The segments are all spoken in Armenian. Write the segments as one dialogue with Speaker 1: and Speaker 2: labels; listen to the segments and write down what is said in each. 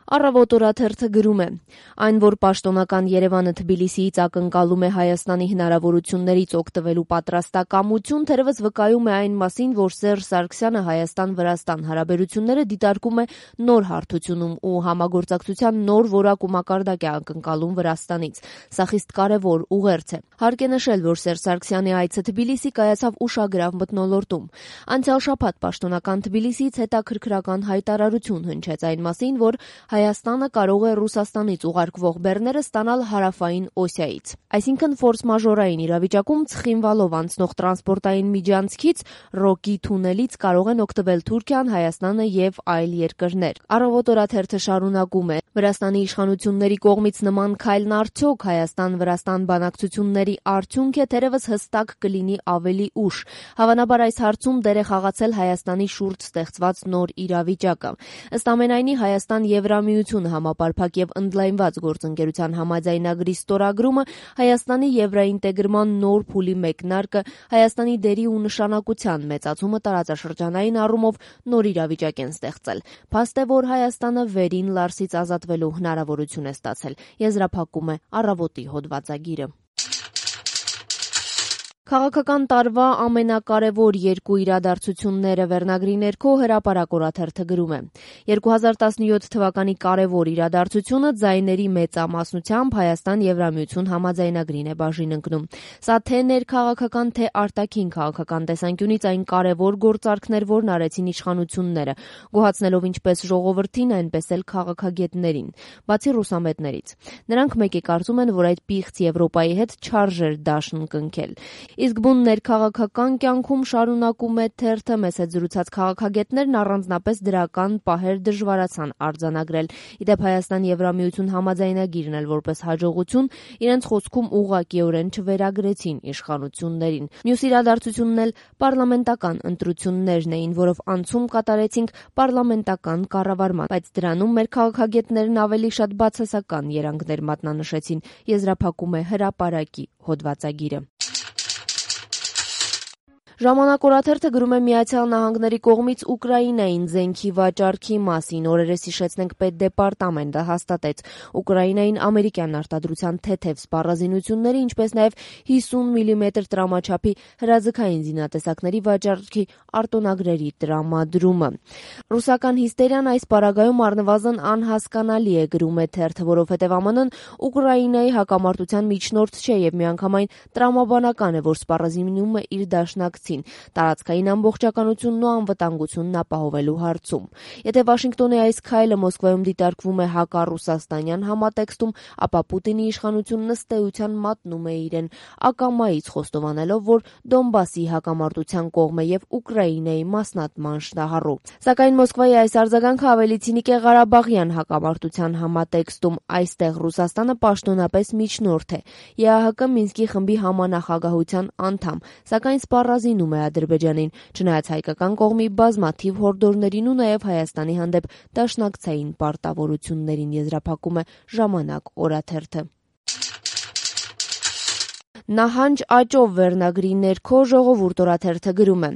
Speaker 1: Առավոտ օրաթերթը գրում է. այն, որ պաշտոնական Երևանը Թբիլիսիից ակնկալում է Հայաստանի հնարավորություններից օգտվելու պատրաստակամություն, թերևս վկայում է այն մասին, որ Սերժ Սարգսյանը Հայաստան-Վրաստան հարաբերությունները դիտարկում է նոր հարթությունում ու համագործակցության նոր որակ ու մակարդակ է ակնկալում Վրաստանից։ Սա խիստ կարևոր ուղերձ է։ Հարկ է նշել, որ Սերժ Սարգսյանի այցը Թբիլիսի կայացավ ուշագրավ մթնոլորտում։ Անցյալ շաբաթ պաշտոնական Թբիլիսիից հետաքրքրական հայտարարություն հնչեց այն մասին, որ Հայաստանը կարող է Ռուսաստանից ուղարկվող բեռները ստանալ հարավային Օսիայից։ Այսինքն ֆորս-մաժորային իրավիճակում Ցխինվալով անցնող տրանսպորտային միջանցքից Ռոկի թունելից կարող են օգտվել Թուրքիան, Հայաստանը եւ այլ երկրներ։ Առավոտ օրաթերթը շարունակում է. Վրաստանի իշխանությունների կողմից նման քայլն արդյոք Հայաստան-Վրաստան բանակցությունների արդյունք է, թերևս հստակ կլինի ավելի ուշ։ Հավանաբար այս հարցում դեր է խաղացել Հայաստանի շուրջ ստեղծված նոր իրավիճակը։ Ըստ ամենայնի Հայաստան-Եվրամիություն համապարփակ եւ ընդլայնված գործընկերության համաձայնագրի ստորագրումը Հայաստանի եվրաինտեգրման նոր փուլի մեկնարկը, Հայաստանի դերի ու նշանակության մեծացումը տարածաշրջանային առումով նոր իրավիճակ են ստեղծել։ Փաստ է, որ Հայաստանը վերին Լարսից ազատվելու հնարավորություն է ստացել, եզրափակում է Առավոտի հոդվածագիրը։ Քաղաքական տարվա ամենակարևոր երկու իրադարձությունները վերնագրի ներքո Հրապարակ օրաթերթը գրում է. 2017 թվականի կարևոր իրադարձությունը ձայների մեծամասնությամբ Հայաստան-Եվրամիություն համաձայնագրին է բաժին ընկնում։ Սա թե ներքաղաքական, թե արտաքին քաղաքական տեսանկյունից այն կարևոր գործարքներ, որն արեցին իշխանությունները, գոհացնելով ինչպես ժողովրդին, այնպես էլ քաղաքագետներին, բացի ռուսամետներից։ Նրանք մեկ է կարծում են, որ այդ պիղծ Եվրոպայի հետ չարժեր դաշն կնքել։ Իսկ բուն ներքաղաքական կյանքում շարունակում է թերթը մեզ հետ զրուցած քաղաքագետներն առանձնապես դրական պահեր դժվարացան արձանագրել։ Իդեպ Հայաստան-Եվրամիություն համաձայնագիրն էլ որպես հաջողություն իրենց խոսքում ուղղակիորեն չվերագրեցին իշխանություններին։ Մյուս իրադարձությունն էլ պարլամենտական ընտրություններն էին, որով անցում կատարեցինք պարլամենտական կառավարման, բայց դրանում մեր քաղաքագետներն ավելի շատ բացասական երանգներ մատնանշեցին, եզրափակում է Հրապարակի հոդվածագիրը։ Ժամանակ օրաթերթը գրում է Միացյալ Նահանգների կողմից Ուկրաինային զենքի վաճառքի մասին։ Օրերս հիշեցնենք Պետդեպարտամենտը հաստատեց Ուկրաինային ամերիկյան արտադրության թեթև սպառազինությունների, ինչպես նաև 50 մմ տրամաչափի հրաձգային զինատեսակների վաճառքի արտոնագրերի տրամադրումը։ Ռուսական հիստերիան այս պարագայում առնվազն անհասկանալի է, գրում է թերթը, որովհետև ԱՄՆ-ն Ուկրաինայի հակամարտության միջնորդ չէ եւ միանգամայն տրամաբանական է, որ սպառազինումը իր դաշնակցին տարածքային ամբողջականությունն ու անվտանգությունն ապահովելու հարցում։ Եթե Վաշինգտոնի այս քայլը Մոսկվայում դիտարկվում է հակառուսաստանյան համատեքստում, ապա Պուտինի իշխանությունն ըստ էության մատնում է իրեն, ակամայից խոստովանելով, որ Դոնբասի հակամարտության կողմ է եւ Ուկրաինայի մասնատման շնահառու։ Սակայն Մոսկվայի այս արձագանքը ավելի ցինիկ է Ղարաբաղյան հակամարտության համատեքստում։ Այստեղ Ռուսաստանը պաշտոնապես միջնորդ է, ԵԱՀԿ Մինսկի խմբի համանախագահության անդամ, սակայն սպառազինում է Ադրբեջանին, չնայած հայկական կողմի բազմաթիվ հորդորներին ու նաև Հայաստանի հանդեպ դաշնակցային պարտավորություններին, եզրափակում է Ժամանակ օրաթերթը։ Նահանջ աճով վերնագրի ներքո Ժողովուրդ օրաթերթը գրում է.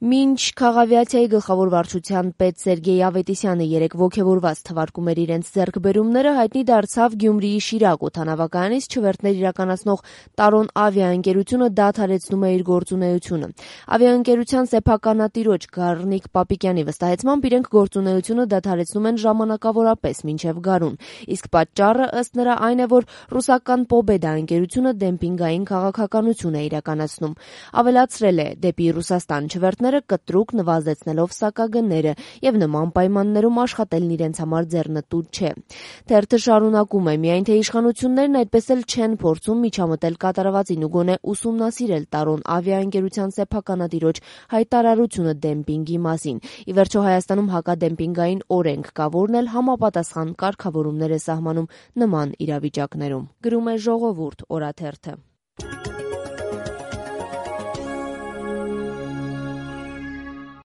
Speaker 1: Մինչ քաղավիացիայի գլխավոր վարչության պետ Սերգեյ Ավետիսյանը երեկ ոգևորված թվարկում էր իրենց ձեռքբերումները, հայտնի դարձավ Գյումրիի Շիրակ օդանավակայանից չվերթներ իրականացնող Տարոն ավիաընկերությունը դադարեցնում է իր գործունեությունը։ Ավիաընկերության սեփականատիրոջ Գառնիկ Պապիկյանի վստահեցմամբ իրենք գործունեությունը դադարեցնում են ժամանակավորապես մինչև գարուն։ Իսկ պատճառը ըստ նրա այն է, որ ռուսական Պոբեդա ընկերությունը դեմպինգային քաղաքականություն է իրականացնում։ Ավելացրել է, դեպի Ռուսաստան չվերթները կտրուկ նվազեցնելով սակագները եւ նման պայմաններում աշխատելն իրենց համար ձեռնտու չէ։ Թերթը շարունակում է. միայն թե իշխանություններն այդպես էլ չեն փորձում միջամտել կատարվածին ու գոնե ուսումնասիրել Տարոն ավիաընկերության սեփականատիրոջ հայտարարությունը դեմպինգի մասին։ Ի վերջո Հայաստանում հակադեմպինգային օրենք կա, որն էլ համապատասխան կարգավորումներ է սահմանում նման իրավիճակներում, գրում է Ժողովուրդ օրաթերթը։